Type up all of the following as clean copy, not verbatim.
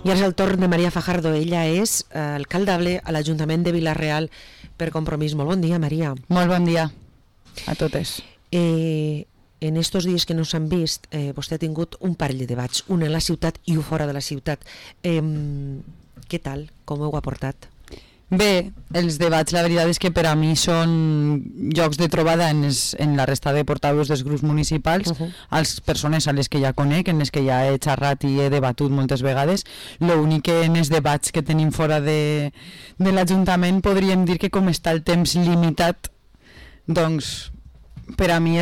I ara és el torn de Maria Fajardo. Ella és alcaldable a l'Ajuntament de Vila-real per Compromís. Molt bon dia, Maria. Molt bon dia a totes. En estos dies que no s'han vist, vostè ha tingut un parell de debats, un en la ciutat i un fora de la ciutat. Què tal? Com ho ha portat? Bé, els debats la veritat és que per a mi són llocs de trobada en la resta de portaveus dels grups municipals, als persones a les que ja conec, en les que ja he xerrat i he debatut moltes vegades. L'únic que en els debats que tenim fora de l'Ajuntament podríem dir que com està el temps limitat, doncs per a mi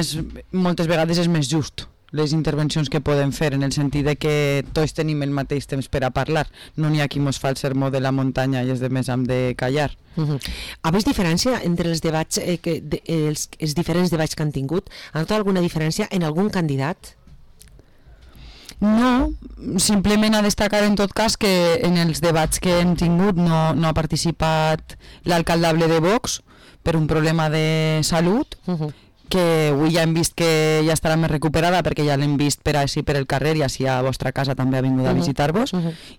moltes vegades és més just les intervencions que podem fer, en el sentit de que tots tenim el mateix temps per a parlar. No n'hi ha qui mos fa el sermó de la muntanya i els demés hem de callar. Ha vist diferència entre els debats, els diferents debats que han tingut? Ha notat alguna diferència en algun candidat? No, simplement a destacar en tot cas que en els debats que hem tingut no ha participat l'alcaldable de Vox per un problema de salut, que avui ja hem vist que ja estarà més recuperada perquè ja l'hem vist per així per el carrer i així a vostra casa també ha vingut a visitar-vos.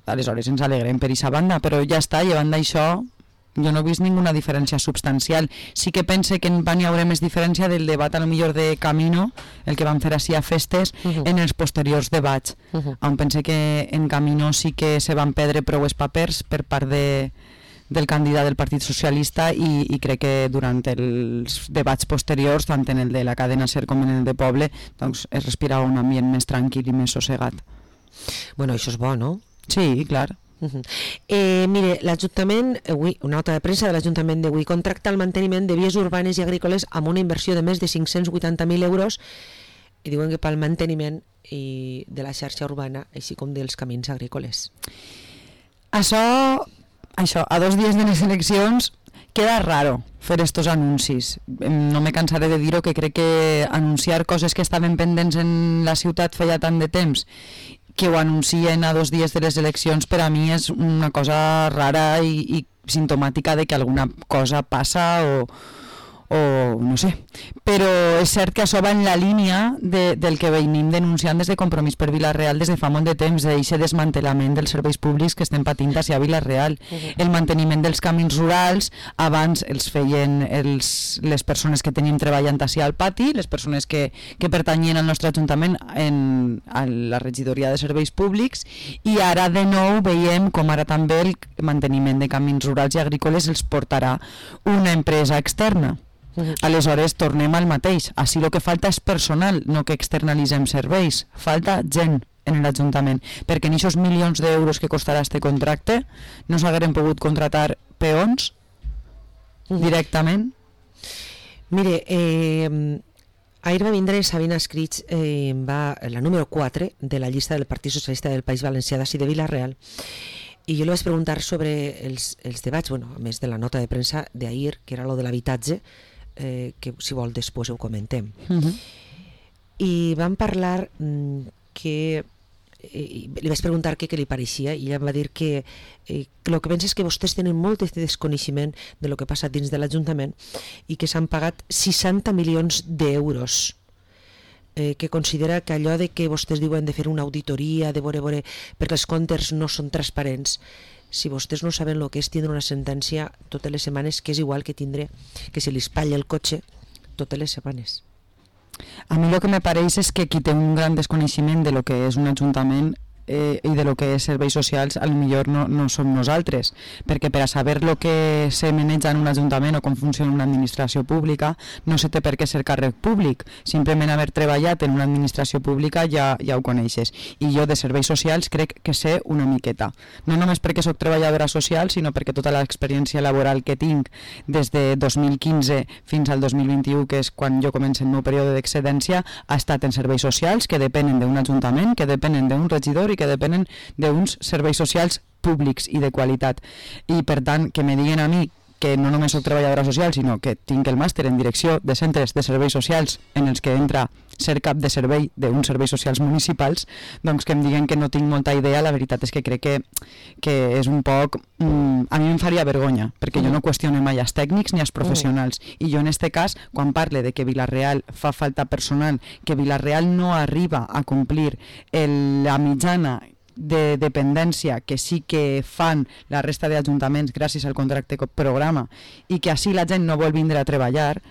Aleshores ens alegrem per aquesta banda, però ja està, llevant d'això jo no he vist ninguna diferència substancial. Sí que pense que n'hi haurà més diferència del debat a lo millor de Camino, el que van fer així a festes, en els posteriors debats, on pense que en Camino sí que se van perdre prou els papers per part del candidat del Partit Socialista i crec que durant els debats posteriors, tant en el de la cadena SER com en el de Poble, doncs es respirava un ambient més tranquil i més sossegat. Bueno, això és bo, no? Sí, clar. Mire, l'Ajuntament, una nota de premsa de l'Ajuntament d'avui, contracta el manteniment de vies urbanes i agrícoles amb una inversió de més de 580.000 euros i diuen que pel manteniment de la xarxa urbana, així com dels camins agrícoles. Això, a 2 dies de les eleccions, queda raro fer estos anuncis. No me cansaré de dir-ho, que crec que anunciar coses que estaven pendents en la ciutat feia tant de temps, que ho anuncien a 2 dies de les eleccions, per a mi és una cosa rara i simptomàtica de que alguna cosa passa o no sé, però és cert que això va en la línia del que venim denunciant des de Compromís per Vila-real des de fa molt de temps, d'aquest desmantelament dels serveis públics que estem patint a Vila-real. El manteniment dels camins rurals, abans els feien les persones que tenim treballant al pati, les persones que pertanyien al nostre Ajuntament a la regidoria de serveis públics, i ara de nou veiem com ara també el manteniment de camins rurals i agrícoles els portarà una empresa externa. Aleshores tornem al mateix. Així el que falta és personal, no que externalitzem serveis. Falta gent en l'Ajuntament, perquè en aquests milions d'euros que costarà este contracte no s'hagueren pogut contratar peons directament. Mire, ahir va vindre Sabina Escrits, la número 4 de la llista del Partit Socialista del País Valencià d'ací de Vila-real, i jo li vaig preguntar sobre els debats, a més de la nota de premsa d'ahir, que era lo de l'habitatge, que si vol després ho comentem. I vam parlar que li vaig preguntar què li pareixia i ella em va dir que el que pensa és que vostès tenen molt de desconeixement de lo que passa dins de l'Ajuntament i que s'han pagat 60 milions d'euros, que considera que allò de que vostès diuen de fer una auditoria, de veure perquè els comptes no són transparents, si vostès no saben el que és tindre una sentència totes les setmanes, que és igual que tindre que se li espatlla el cotxe totes les setmanes. A mi el que me pareix és que qui té un gran desconeixement de lo que és un ajuntament i de lo que és serveis socials, a lo millor no som nosaltres, perquè per a saber lo que se maneja en un ajuntament o com funciona una administració pública no se té per què ser càrrec públic, simplement haver treballat en una administració pública ja ho coneixes, i jo de serveis socials crec que sé una miqueta, no només perquè soc treballadora social, sinó perquè tota l'experiència laboral que tinc des de 2015 fins al 2021, que és quan jo començo el meu període d'excedència, ha estat en serveis socials que depenen d'un ajuntament, que depenen d'un regidor i que depenen d'uns serveis socials públics i de qualitat. I per tant, que me diguen a mi que no només soc treballadora social, sinó que tinc el màster en direcció de centres de serveis socials en els que entra ser cap de servei d'uns serveis socials municipals, doncs que em diguen que no tinc molta idea, la veritat és que crec que és un poc... a mi em faria vergonya, perquè jo no qüestiono mai els tècnics ni els professionals, i jo en este cas, quan parle de que Vila-real fa falta personal, que Vila-real no arriba a complir la mitjana de dependència que sí que fan la resta d'ajuntaments gràcies al contracte programa i que així la gent no vol vindre a treballar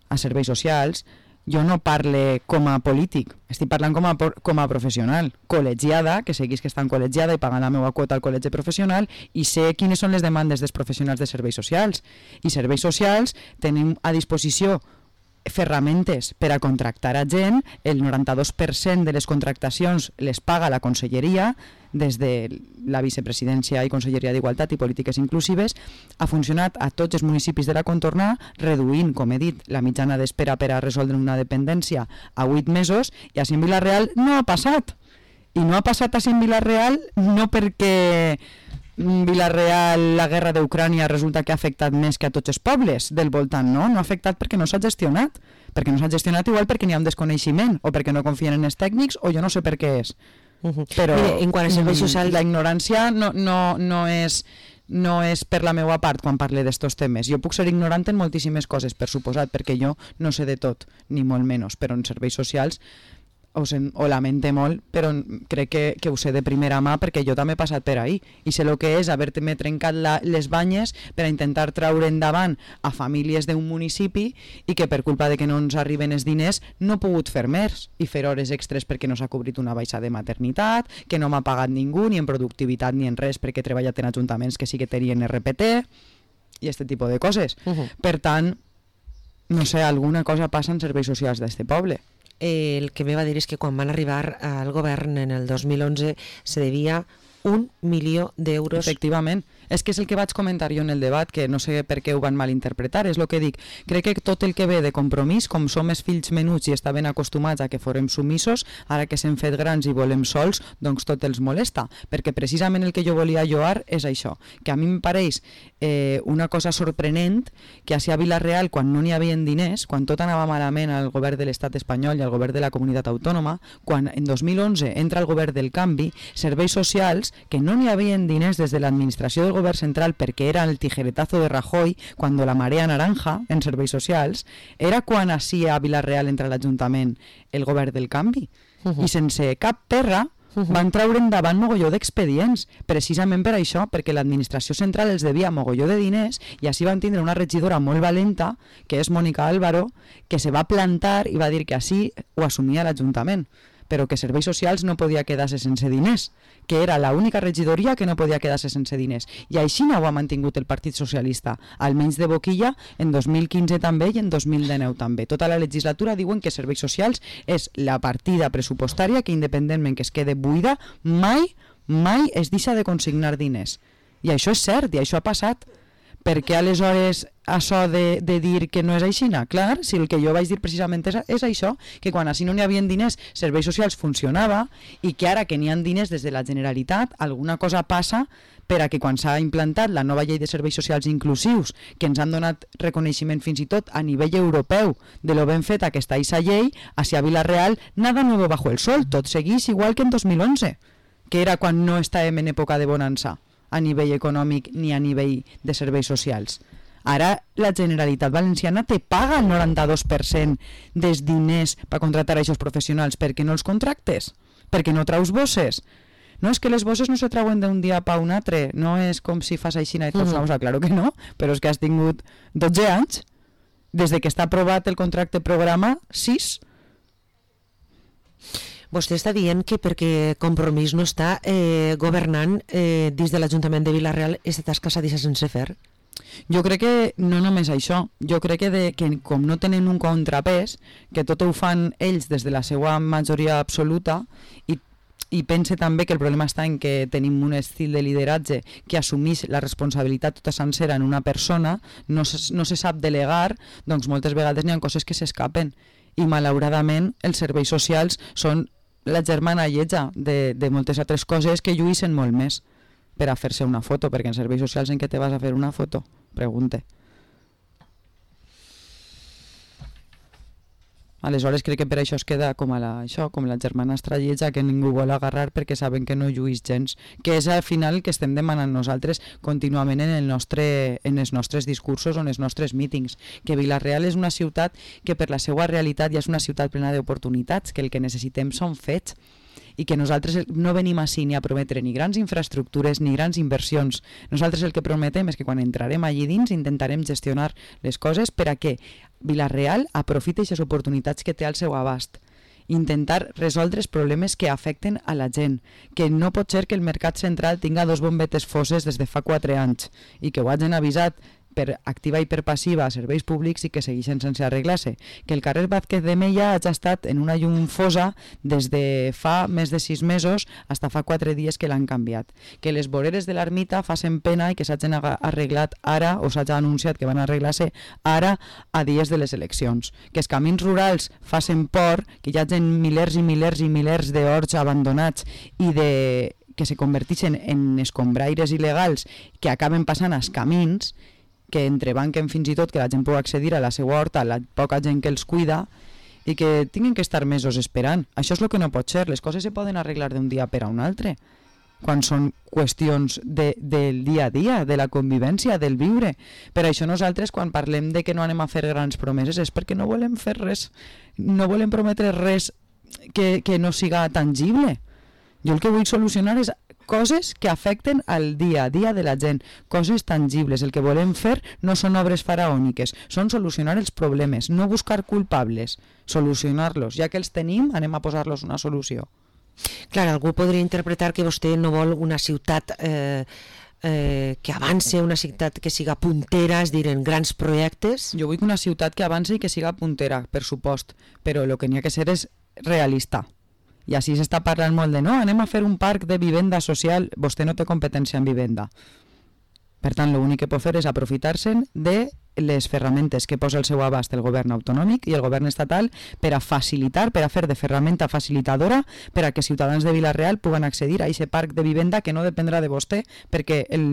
a serveis socials, jo no parle com a polític, estic parlant com a professional, col·legiada, que seguís que estan col·legiada i pagant la meva quota al col·legi professional i sé quines són les demandes dels professionals de serveis socials. I serveis socials tenim a disposició ferramentes per a contractar a gent, el 92% de les contractacions les paga la conselleria, des de la vicepresidència i Conselleria d'Igualtat i Polítiques Inclusives, ha funcionat a tots els municipis de la contorna, reduint, com he dit, la mitjana d'espera per a resoldre una dependència a 8 mesos, i així en Vila-real no ha passat. I no ha passat així en Vila-real no perquè Vila-real, la guerra d'Ucrània resulta que ha afectat més que a tots els pobles del voltant, no? No ha afectat perquè no s'ha gestionat. Perquè no s'ha gestionat igual perquè n'hi ha un desconeixement o perquè no confien en els tècnics o jo no sé per què és. Però mira, en quant a serveis socials, la ignorància no és per la meva part quan parle d'estos temes. Jo puc ser ignorant en moltíssimes coses, per suposat, perquè jo no sé de tot, ni molt menys, però en serveis socials ho lamente molt, però crec que ho sé de primera mà perquè jo també he passat per ahí i sé el que és haver-me trencat les banyes per a intentar traure endavant a famílies d'un municipi i que per culpa de que no ens arriben els diners no he pogut fer més i fer hores extres perquè no s'ha cobrit una baixa de maternitat, que no m'ha pagat ningú ni en productivitat ni en res perquè he treballat en ajuntaments que sí que tenien RPT i aquest tipus de coses. Per tant, no sé, alguna cosa passa en serveis socials d'este poble. El que me va dir és que quan van arribar al govern en el 2011 se devia 1 milió d'euros. Efectivament, és que és el que vaig comentar jo en el debat, que no sé per què ho van malinterpretar, és el que dic. Crec que tot el que ve de compromís, com som els fills menuts i estaven acostumats a que forem sumissos, ara que s'hem fet grans i volem sols, doncs tot els molesta, perquè precisament el que jo volia lloar és això, que a mi em pareix una cosa sorprenent que així a Vila-real, quan no n'hi havia diners, quan tot anava malament al govern de l'estat espanyol i al govern de la comunitat autònoma, quan en 2011 entra el govern del canvi, serveis socials, que no n'hi havia diners des de l'administració del govern central perquè era el tijeretazo de Rajoy quan la marea naranja en serveis socials, era quan així a Vila-real entra l'Ajuntament el govern del canvi. I sense cap perra van treure endavant mogolló d'expedients, precisament per això, perquè l'administració central els devia mogolló de diners i així van tindre una regidora molt valenta, que és Mònica Álvaro, que se va plantar i va dir que així ho assumia l'Ajuntament, però que serveis socials no podia quedar-se sense diners, que era l'única regidoria que no podia quedar-se sense diners. I així no ho ha mantingut el Partit Socialista, almenys de boquilla, en 2015 també i en 2019 també. Tota la legislatura diuen que serveis socials és la partida pressupostària que, independentment que es quede buida, mai es deixa de consignar diners. I això és cert, i això ha passat. Per què aleshores això de dir que no és així? Clar, si el que jo vaig dir precisament és això, que quan així no n'hi havia diners, serveis socials funcionava i que ara que n'hi ha diners des de la Generalitat, alguna cosa passa per a que quan s'ha implantat la nova llei de serveis socials inclusius, que ens han donat reconeixement fins i tot a nivell europeu de lo ben feta que està aquesta llei, hacia Vila-real, nada nuevo bajo el sol, tot seguís igual que en 2011, que era quan no estàvem en època de bonança a nivell econòmic ni a nivell de serveis socials. Ara la Generalitat Valenciana te paga el 92% dels diners per contractar a aquests professionals. Per què no els contractes? Perquè no traus bosses? No, és que les bosses no se trauen d'un dia pa un altre, no és com si fas així i traus una bossa, claro que no, però és que has tingut 12 anys, des de que està aprovat el contracte programa, 6. Vostè està dient que perquè Compromís no està governant dins de l'Ajuntament de Vila-real, aquesta tasca s'ha deixat sense fer? Jo crec que no només això, jo crec que com no tenen un contrapès, que tot ho fan ells des de la seva majoria absoluta i pense també que el problema està en que tenim un estil de lideratge que assumís la responsabilitat tota sencera en una persona, no se sap delegar, doncs moltes vegades n'hi ha coses que s'escapen i malauradament els serveis socials són la germana lletja de moltes altres coses que lluïssen molt més per a fer-se una foto, perquè en serveis socials en què te vas a fer una foto? Pregunte. Aleshores crec que per això es queda com la germanastra lletja que ningú vol agarrar perquè saben que no lluís gens, que és al final el que estem demanant nosaltres contínuament en els nostres discursos o en els nostres mítings, que Vila-real és una ciutat que per la seva realitat ja és una ciutat plena d'oportunitats, que el que necessitem són fets i que nosaltres no venim així ni a prometre ni grans infraestructures ni grans inversions. Nosaltres el que prometem és que quan entrarem allí dins intentarem gestionar les coses per a que Vila-real aprofiti aquestes oportunitats que té al seu abast. Intentar resoldre els problemes que afecten a la gent, que no pot ser que el mercat central tinga 2 bombetes fosses des de fa 4 anys i que ho hagin avisat per activa i per passiva a serveis públics i que segueixen sense arreglar-se, que el carrer Vázquez de Mella hagi estat en una llum fosa des de fa més de 6 mesos fins fa 4 dies que l'han canviat, que les voreres de l'ermita facin pena i que s'hagin arreglat ara o s'hagi anunciat que van arreglar-se ara a dies de les eleccions, que els camins rurals facin por, que hi hagi milers i milers i milers d'horts abandonats i que se converteixen en escombraires il·legals que acaben passant als camins, que entrebanquen fins i tot que la gent pugui accedir a la seva horta, la poca gent que els cuida i que tinguin que estar mesos esperant. Això és el que no pot ser. Les coses se poden arreglar d'un dia per a un altre quan són qüestions del dia a dia, de la convivència, del viure. Per això nosaltres quan parlem de que no anem a fer grans promeses és perquè no volem fer res, no volem prometre res que no siga tangible. Jo el que vull solucionar és coses que afecten al dia a dia de la gent, coses tangibles. El que volem fer no són obres faraòniques, són solucionar els problemes, no buscar culpables, solucionar-los. Ja que els tenim, anem a posar-los una solució. Clar, algú podria interpretar que vostè no vol una ciutat que avance, una ciutat que siga puntera, és dir, en grans projectes. Jo vull una ciutat que avance i que siga puntera, per supost, però el que n'hi ha que ser és realista. I així s'està parlant molt de no, anem a fer un parc de vivenda social. Vostè no té competència en vivenda. Per tant, l'únic que pot fer és aprofitar-se'n de les ferramentes que posa al seu abast el govern autonòmic i el govern estatal per a facilitar, per a fer de ferramenta facilitadora per a que ciutadans de Vila-real puguen accedir a aquest parc de vivenda que no dependrà de vostè perquè el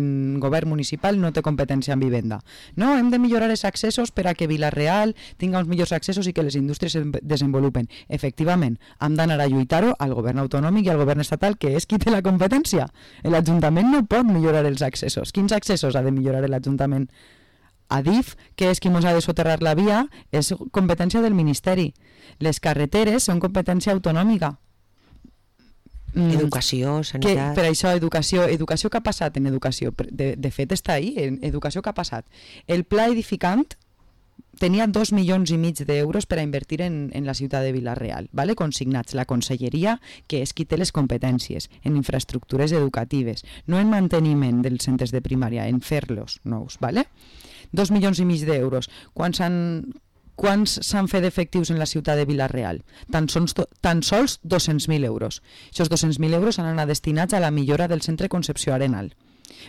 govern municipal no té competència en vivenda. No, hem de millorar els accessos per a que Vila-real tinga uns millors accessos i que les indústries es desenvolupen. Efectivament, hem d'anar a lluitar-ho al govern autonòmic i al govern estatal, que és qui té la competència. L'Ajuntament no pot millorar els accessos. Quins accessos ha de millorar l'Ajuntament? Adif, que és qui ens ha de soterrar la via, és competència del Ministeri. Les carreteres són competència autonòmica. Educació, sanitat... Per això, educació que ha passat en educació? De fet està ahí, en educació que ha passat. El pla edificant tenia 2,5 milions d'euros per a invertir en la ciutat de Vila-real, ¿vale? Consignats la conselleria, que és qui té les competències en infraestructures educatives, no en manteniment dels centres de primària, en fer-los nous, ¿vale? 2,5 milions d'euros. Quants s'han fet efectius en la ciutat de Vila-real? Tan sols 200.000 euros. Aquests 200.000 euros han anat destinats a la millora del centre Concepció Arenal.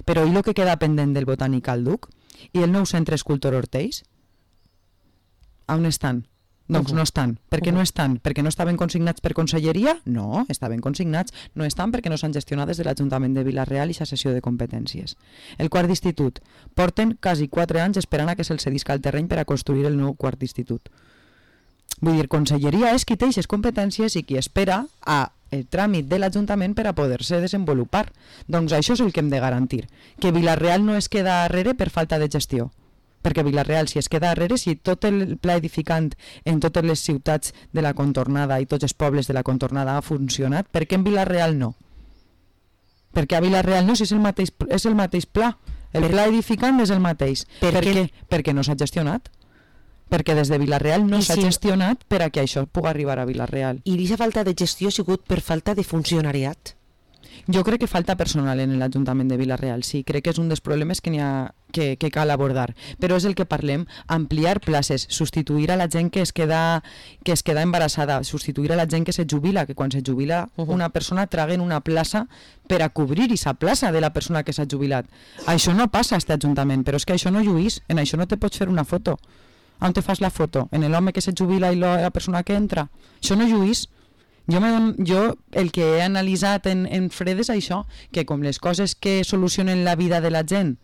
Però i el que queda pendent del Botànic al Duc? I el nou centre Escultor Ortells? On estan? Doncs no estan. Per què no estan? Perquè no estaven consignats per conselleria? No, estaven consignats. No estan perquè no s'han gestionat des de l'Ajuntament de Vila-real i sa cessió de competències. El quart d'institut. Porten quasi 4 anys esperant a que se'ls cedisca el terreny per a construir el nou quart d'institut. Vull dir, conselleria és qui té aquestes competències i qui espera el tràmit de l'Ajuntament per a poder-se desenvolupar. Doncs això és el que hem de garantir. Que Vila-real no es queda darrere per falta de gestió. Perquè Vila-real, si es queda darrere, si tot el pla edificant en totes les ciutats de la contornada i tots els pobles de la contornada ha funcionat, per què en Vila-real no? Perquè a Vila-real no, si és el mateix pla. El pla edificant és el mateix. Per què? Perquè no s'ha gestionat. Perquè des de Vila-real no s'ha gestionat per a que això pugui arribar a Vila-real. I aquesta falta de gestió ha sigut per falta de funcionariat? Jo crec que falta personal en l'Ajuntament de Vila-real, sí, crec que és un dels problemes que cal abordar, però és el que parlem, ampliar places, substituir a la gent que es queda embarassada, substituir a la gent que se jubila, que quan se jubila una persona traguen una plaça per a cobrir aquesta plaça de la persona que s'ha jubilat. Això no passa a aquest Ajuntament, però és que això no lluís, en això no te pots fer una foto. On te fas la foto? En l'home que se jubila i la persona que entra? Això no lluís. Jo el que he analitzat en fred és això, que com les coses que solucionen la vida de la gent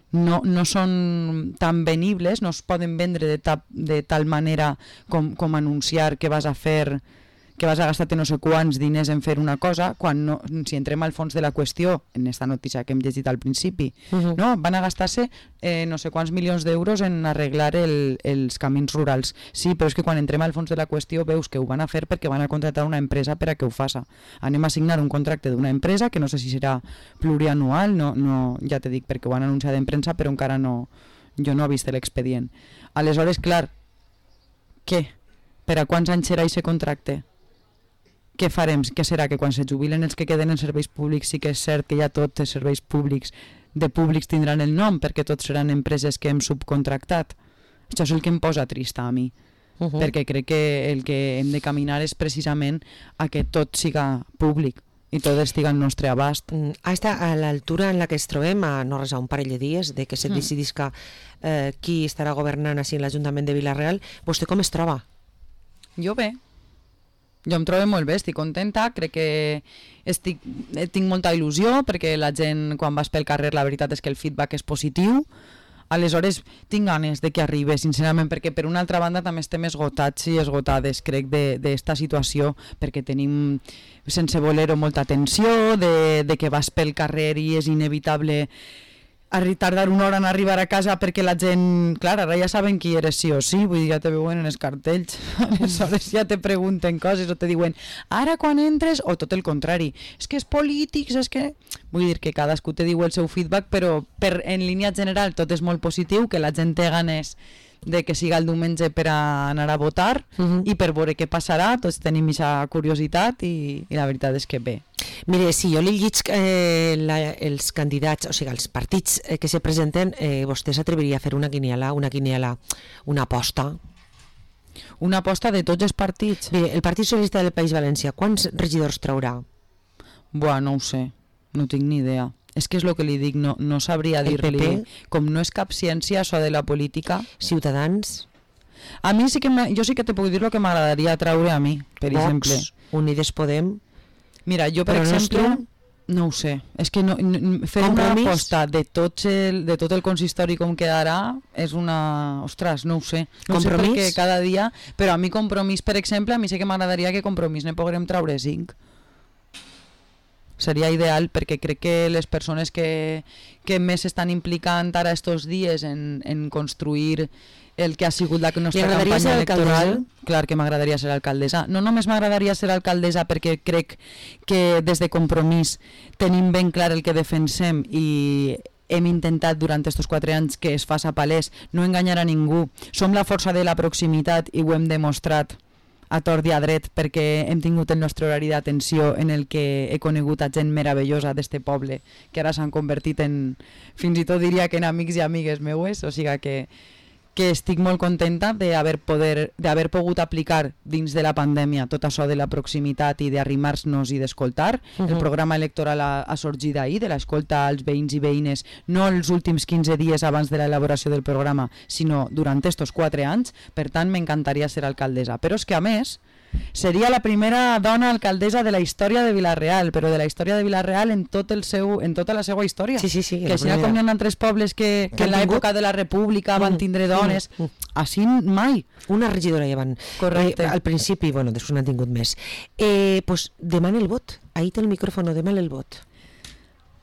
no són tan venibles, no es poden vendre de tal manera com anunciar que vas a fer que vas a gastar-te no sé quants diners en fer una cosa, quan no, si entrem al fons de la qüestió, en esta notícia que hem llegit al principi, no? Van a gastar-se no sé quants milions d'euros en arreglar els camins rurals. Sí, però és que quan entrem al fons de la qüestió veus que ho van a fer perquè van a contratar una empresa per a que ho faça. Anem a signar un contracte d'una empresa que no sé si serà plurianual, no, ja te dic perquè ho han anunciat en premsa, però encara no, jo no he vist l'expedient. Aleshores, clar, què? Per a quants anys serà aquest contracte? Què farem? Què serà? Que quan se jubilen els que queden en serveis públics sí que és cert que ja tots els serveis públics de públics tindran el nom perquè tots seran empreses que hem subcontractat? Això és el que em posa trista a mi, perquè crec que el que hem de caminar és precisament a que tot siga públic i tot estigui al nostre abast. A l'altura en la que es trobem, a no res a un parell de dies de que se decidisca qui estarà governant així en l'Ajuntament de Vila-real, vostè com es troba? Jo bé. Jo em trobo molt bé, estic contenta, crec que tinc molta il·lusió perquè la gent quan vas pel carrer la veritat és que el feedback és positiu. Aleshores tinc ganes de que arribi, sincerament, perquè per una altra banda també estem esgotats i esgotades, crec, d'esta situació, perquè tenim, sense voler-ho, molta tensió, de que vas pel carrer i és inevitable tardar una hora en arribar a casa perquè la gent, clar, ara ja saben qui eres sí o sí, vull dir, ja te veuen en els cartells, aleshores ja te pregunten coses o te diuen, ara quan entres, o tot el contrari, és que és polítics, és que... Vull dir que cadascú te diu el seu feedback, però en línia general tot és molt positiu, que la gent té ganes de que siga el diumenge per a anar a votar i per veure què passarà, tots tenim aquesta curiositat i la veritat és que bé. Mire, si jo li llic els candidats, o sigui, els partits que se presenten, vostè s'atreviria a fer una quiniela, una aposta? Una aposta de tots els partits? Mire, el Partit Socialista del País Valencià, quants regidors traurà? Buah, no ho sé, no tinc ni idea. És que és el que li dic, no sabria dir-li. Com no és cap ciència, això de la política... Ciutadans? A mi sí que... Jo sí que te puc dir el que m'agradaria traure a mi, per exemple. Unides Podem? Mira, jo per exemple... No ho sé. És que fer una aposta de tot el consistori com quedarà és una... Ostres, no ho sé. No sé perquè cada dia... Però a mi Compromís, per exemple, a mi sí que m'agradaria que Compromís ne poguem traure 5. Seria ideal perquè crec que les persones que més s'estan implicant ara estos dies en construir el que ha sigut la nostra campanya electoral, clar que m'agradaria ser alcaldessa. No només m'agradaria ser alcaldessa perquè crec que des de Compromís tenim ben clar el que defensem i hem intentat durant aquests 4 anys que es faça palès, no enganyar a ningú. Som la força de la proximitat i ho hem demostrat a tort i a dret perquè hem tingut el nostre horari d'atenció en el que he conegut a gent meravellosa d'este poble que ara s'han convertit en, fins i tot diria que en amics i amigues meues, o sigui que estic molt contenta d'haver pogut aplicar dins de la pandèmia tot això de la proximitat i d'arrimar-nos i d'escoltar. El programa electoral ha sorgit ahir, de l'escolta als veïns i veïnes, no els últims 15 dies abans de l'elaboració del programa, sinó durant estos 4 anys, per tant m'encantaria ser alcaldessa. Però és que a més, seria la primera dona alcaldessa de la història de Vila-real, però de la història de Vila-real en tota la seva història. Sí. Que així com hi ha altres pobles que en l'època de la República van tindre dones, així mai. Una regidora ja van. Correcte. Al principi, bueno, després n'han tingut més. Pues demana el vot. Ahí té el micròfono, demana el vot.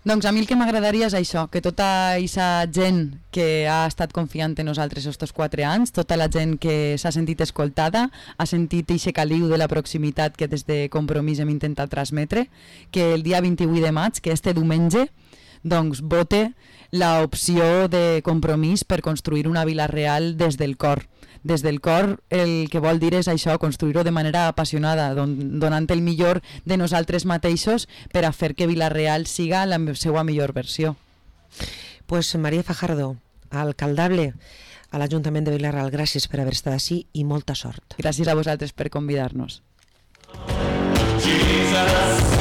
Doncs a mi el que m'agradaria és això, que tota aquesta gent que ha estat confiant en nosaltres aquests 4 anys, tota la gent que s'ha sentit escoltada, ha sentit eixe caliu de la proximitat que des de Compromís hem intentat transmetre, que el dia 28 de maig, que este diumenge, doncs vote l'opció de Compromís per construir una Vila-real des del cor. Des del cor el que vol dir és això, construir-ho de manera apassionada, donant el millor de nosaltres mateixos per a fer que Vila-real siga la seva millor versió. Pues María Fajardo, alcaldable a l'Ajuntament de Vila-real, gràcies per haver estat així i molta sort. Gràcies a vosaltres per convidar-nos. Jesus.